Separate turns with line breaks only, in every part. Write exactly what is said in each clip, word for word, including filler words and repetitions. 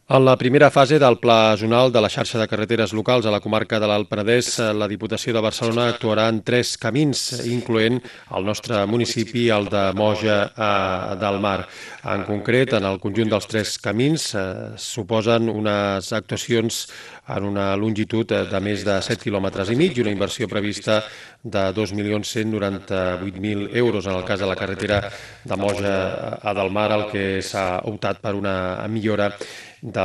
En la primera fase del Pla Zonal de la xarxa de carreteres locals a la comarca de l'Alt Penedès, la Diputació de Barcelona actuarà en tres camins, incloent el nostre municipi, el de Moja eh, del Mar. En concret, en el conjunt dels tres camins eh, suposen unes actuacions en una longitud de més de set quilòmetres i mig i una inversió prevista de dos milions cent noranta-vuit mil euros. En el cas de la carretera de Moja a del Mar, el que s'ha optat per una millora de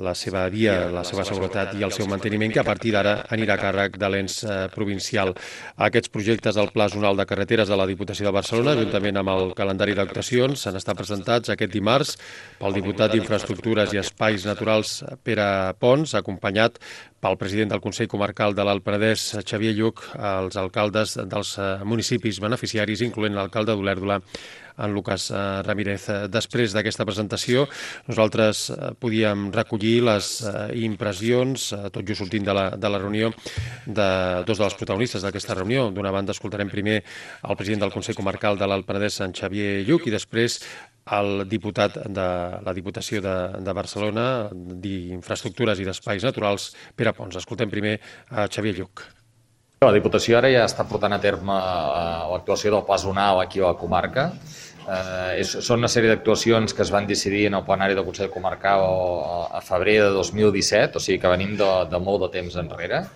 la seva via, la seva seguretat i el seu manteniment, que a partir d'ara anirà a càrrec de l'ens eh, provincial. Aquests projectes del Pla Zonal de Carreteres de la Diputació de Barcelona, juntament amb el calendari d'actuacions, han estat presentats aquest dimarts pel diputat d'Infraestructures i Espais Naturals Pere Pons, acompanyat pel president del Consell Comarcal de l'Alt Penedès, Xavier Lluch, als alcaldes dels municipis beneficiaris, incloent l'alcalde d'Olèrdola, en Lucas Ramírez. Després d'aquesta presentació, nosaltres podíem recollir les impressions, tot just sortint de la, de la reunió, de dos dels protagonistes d'aquesta reunió. D'una banda, escoltarem primer el president del Consell Comarcal de l'Alt Penedès, en Xavier Lluch, i després el diputat de la Diputació de, de Barcelona d'Infraestructures i d'Espais Naturals, Pere Pons. Escoltem primer a Xavier Lluch.
La Diputació ara ja està portant a terme l'actuació del Pla Zonal aquí a la comarca. Eh, és, són una sèrie d'actuacions que es van decidir en el plenari del Consell Comarcal a, a febrer de dos mil disset, o sigui que venim de, de molt de temps enrere,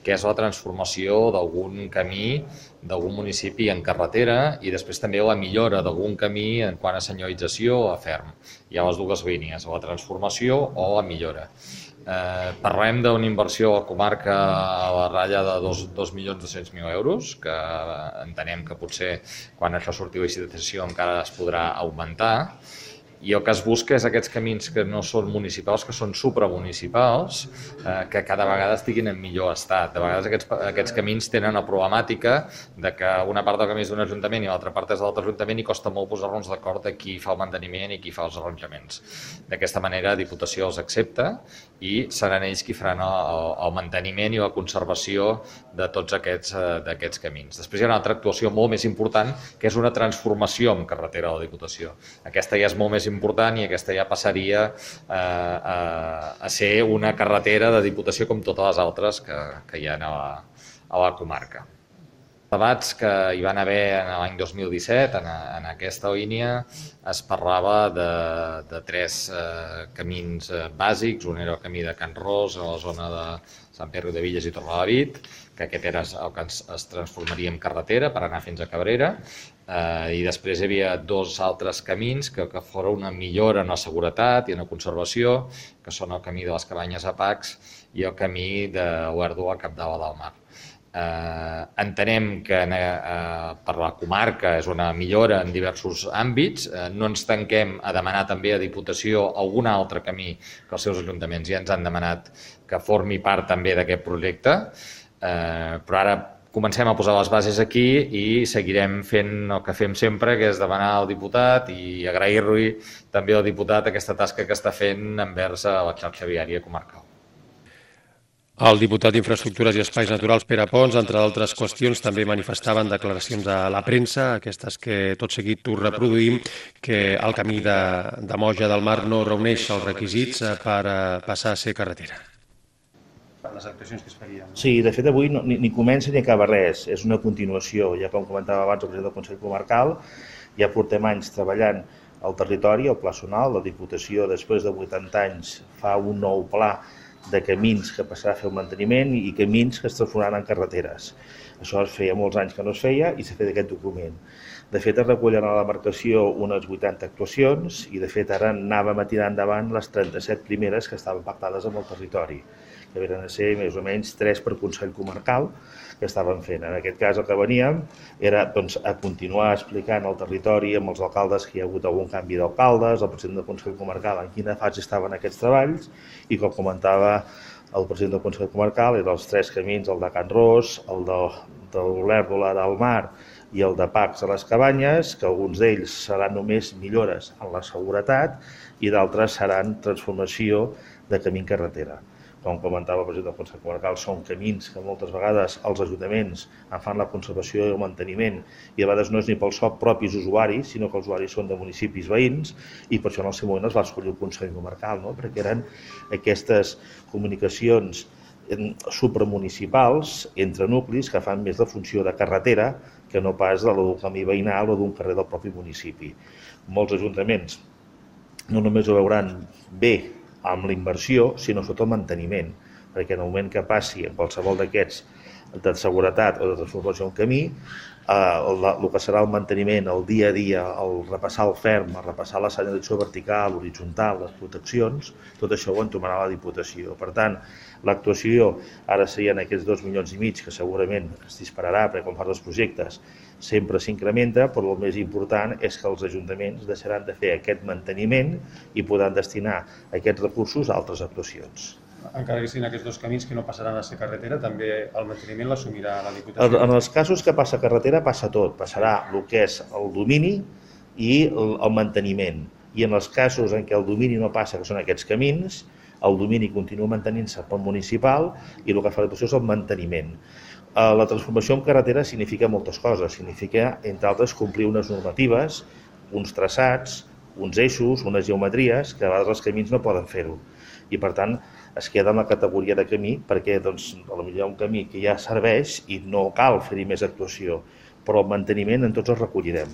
que és la transformació d'algun camí d'algun municipi en carretera i després també la millora d'algun camí en quant a senyalització a ferm. Hi ha les dues línies, la transformació o la millora. Eh, parlem d'una inversió a la comarca a la ratlla de dos milions dos-cents mil euros, que entenem que potser quan això surti a licitació encara es podrà augmentar. I el que es busca és aquests camins que no són municipals, que són supramunicipals, eh, que cada vegada estiguin en millor estat. De vegades aquests, aquests camins tenen la problemàtica de que una part del camí és d'un ajuntament i l'altra part és de l'altre ajuntament i costa molt posar-nos d'acord de qui fa el manteniment i qui fa els arranjaments. D'aquesta manera, la Diputació els accepta i seran ells qui faran el, el manteniment i la conservació de tots aquests, eh, d'aquests camins. Després hi ha una altra actuació molt més important, que és una transformació en carretera de la Diputació. Aquesta ja és molt més important i aquesta ja passaria eh, a, a ser una carretera de Diputació com totes les altres que, que hi ha a la, a la comarca. Debats que hi van haver en l'any dos mil disset, en, en aquesta línia, es parlava de, de tres eh, camins eh, bàsics. Un era el camí de Can Ros, a la zona de Sant Pere de Villas i Torrelavit, que aquest era el que es, es transformaria en carretera per anar fins a Cabrera, eh, i després hi havia dos altres camins que, que foren una millora en la seguretat i en la conservació, que són el camí de les Cabanyes a Pacs i el camí de Olèrdola a Capdavall del Mar. Eh, entenem que eh, per la comarca és una millora en diversos àmbits. Eh, no ens tanquem a demanar també a Diputació algun altre camí que els seus ajuntaments ja ens han demanat que formi part també d'aquest projecte, eh, però ara comencem a posar les bases aquí i seguirem fent el que fem sempre, que és demanar al diputat i agrair-li també al diputat aquesta tasca que està fent envers la xarxa viària comarcal.
El diputat d'Infraestructures i Espais Naturals, Pere Pons, entre d'altres qüestions, també manifestaven declaracions a la premsa, aquestes que tot seguit ho reproduïm, que el camí de, de Moja del Mar no reuneix els requisits per passar a ser carretera.
Les actuacions que es farien.
Sí, de fet avui no, ni, ni comença ni acaba res, és una continuació. Ja com comentava abans el president del Consell Comarcal, ja portem anys treballant al territori, el Pla Zonal, la Diputació després de vuitanta anys fa un nou pla de camins que passarà a fer el manteniment i camins que es transformaran en carreteres. Això es feia molts anys que no es feia i s'ha fet aquest document. De fet, es recullen a la demarcació unes vuitanta actuacions i, de fet, ara anàvem a tirar endavant les trenta-set primeres que estaven pactades amb el territori, que venen a ser més o menys tres per Consell Comarcal que estaven fent. En aquest cas el que veníem era doncs, a continuar explicant al territori amb els alcaldes que hi ha hagut algun canvi d'alcaldes, el president del Consell Comarcal en quina fase estaven aquests treballs i, com comentava el president del Consell Comarcal, eren els tres camins, el de Can Ros, el de, de l'Olèrdola del Mar i el de Pacs a les Cabanyes, que alguns d'ells seran només millores en la seguretat i d'altres seran transformació de camí en carretera. com comentava el president del Consell Comarcal, són camins que moltes vegades els ajuntaments en fan la conservació i el manteniment, i a vegades no és ni pels propis usuaris, sinó que els usuaris són de municipis veïns, i per això en el seu moment es va escollir el Consell Comarcal, no? Perquè eren aquestes comunicacions supramunicipals entre nuclis que fan més la funció de carretera que no pas de d'un camí veïnal o d'un carrer del propi municipi. Molts ajuntaments no només ho veuran bé amb la inversió, sinó sobretot el manteniment, perquè en el moment que passi en qualsevol d'aquests de seguretat o de transformació en camí, eh, el, el que serà el manteniment, el dia a dia, el repassar el ferm, el repassar la senyalització vertical, horitzontal, les proteccions, tot això ho entomarà la Diputació. Per tant, l'actuació ara serien aquests dos milions i mig, que segurament es dispararà, perquè quan fas els projectes sempre s'incrementa, però el més important és que els ajuntaments deixaran de fer aquest manteniment i podran destinar aquests recursos a altres actuacions.
Encara que siguin aquests dos camins que no passaran a ser carretera, també el manteniment l'assumirà la Diputació?
En els casos que passa carretera passa tot, passarà el que és el domini i el, el manteniment. I en els casos en què el domini no passa, que són aquests camins, el domini continua mantenint-se pel municipal i el que fa la Diputació és el manteniment. La transformació en carretera significa moltes coses, significa, entre altres, complir unes normatives, uns traçats, uns eixos, unes geometries, que a vegades els camins no poden fer-ho. I, per tant, es queda en la categoria de camí perquè, doncs, potser hi ha un camí que ja serveix i no cal fer-hi més actuació, però el manteniment en tots els recollirem.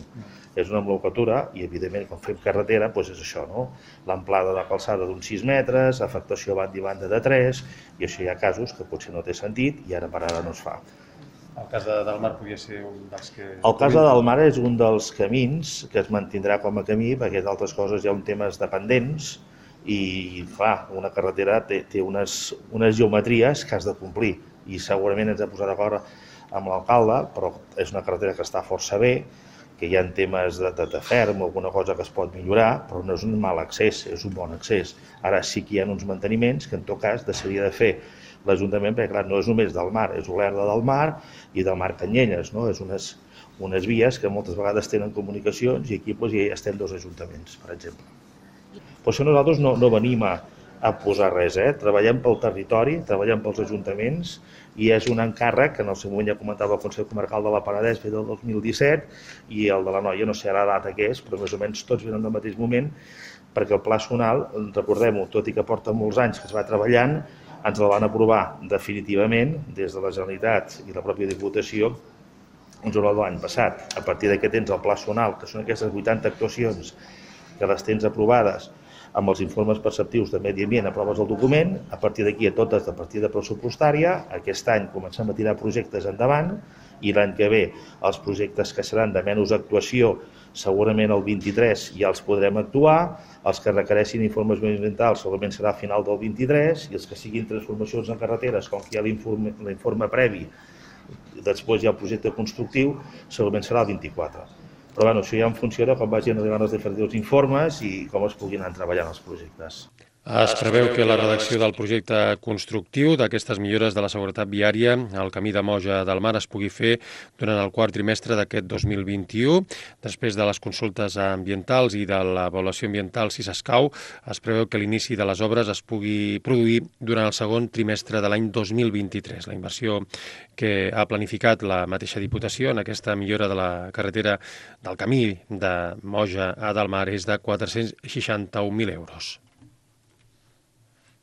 És una nomenclatura i, evidentment, quan fem carretera, doncs és això, no? L'amplada de calçada d'uns sis metres, afectació banda i banda de tres, i això hi ha casos que potser no té sentit i ara per ara no es fa.
El cas de Delmar podria ser un dels que...
El cas de Delmar és un dels camins que es mantindrà com a camí, perquè d'altres coses hi ha un temes dependents i, clar, una carretera té, té unes, unes geometries que has de complir i segurament ens hem posat d'acord amb l'alcalde, però és una carretera que està força bé, que hi ha temes de, de, de ferm o alguna cosa que es pot millorar, però no és un mal accés, és un bon accés. Ara sí que hi ha uns manteniments que en tot cas deixaria de fer l'Ajuntament, perquè clar, no és només del Mar, és Olèrdola del Mar i del Mar Canyelles, no? És unes, unes vies que moltes vegades tenen comunicacions i aquí doncs, hi estem dos ajuntaments, per exemple. Per això nosaltres no, no venim a, a posar res, eh? Treballem pel territori, treballem pels ajuntaments i és un encàrrec que en el seu moment ja comentava el Consell Comarcal de la Penedès ve del dos mil disset i el de la Noia no sé la data que és, però més o menys tots venen del mateix moment perquè el Pla Zonal, recordem-ho, tot i que porta molts anys que es va treballant, ens el van aprovar definitivament des de la Generalitat i la pròpia Diputació en juliol de l'any passat. A partir d'aquí tens el Pla Zonal, que són aquestes vuitanta actuacions que les tens aprovades amb els informes perceptius de medi ambient, aproves el document, a partir d'aquí a totes de partida pressupostària, aquest any comencem a tirar projectes endavant i l'any que ve els projectes que seran de menys actuació segurament el vint-i-tres ja els podrem actuar, els que requereixin informes mediambientals segurament serà a final del vint-i-tres i els que siguin transformacions en carreteres, com que hi ha l'informe previ, després hi ha el projecte constructiu, segurament serà el vint-i-quatre. Però bueno, això ja en funció de com vagin arribant els diferents informes i com es puguin anar treballant els projectes.
Es preveu que la redacció del projecte constructiu d'aquestes millores de la seguretat viària al camí de Moja del Mar es pugui fer durant el quart trimestre d'aquest dos mil vint-i-u. Després de les consultes ambientals i de l'avaluació ambiental, si s'escau, es preveu que l'inici de les obres es pugui produir durant el segon trimestre de l'any dos mil vint-i-tres. La inversió que ha planificat la mateixa Diputació en aquesta millora de la carretera del camí de Moja a Delmar és de quatre-cents seixanta-un mil euros.